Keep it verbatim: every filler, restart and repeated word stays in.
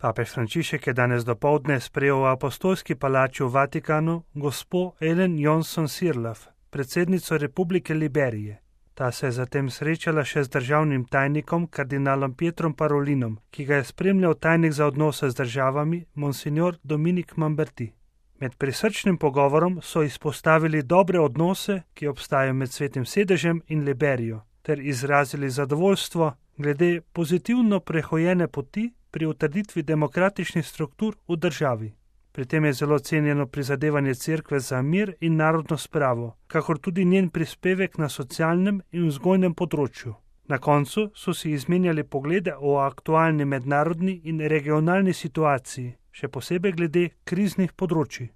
Papež Frančišek je danes dopoldne sprejel v apostolski palači v Vatikanu gospo Ellen Johnson-Sirleaf, predsednico Republike Liberije. Ta se je zatem srečala še z državnim tajnikom kardinalom Pietrom Parolinom, ki ga je spremljal tajnik za odnose z državami monsignor Dominik Mamberti. Med prisrčnim pogovorom so izpostavili dobre odnose, ki obstajajo med Svetim sedežem in Liberijo, ter izrazili zadovoljstvo glede pozitivno prehojene poti pri utrditvi demokratičnih struktur v državi. Pri tem je zelo cenjeno prizadevanje cerkve za mir in narodno spravo, kakor tudi njen prispevek na socialnem in vzgojnem področju. Na koncu so si izmenjali poglede o aktualni mednarodni in regionalni situaciji, še posebej glede kriznih področij.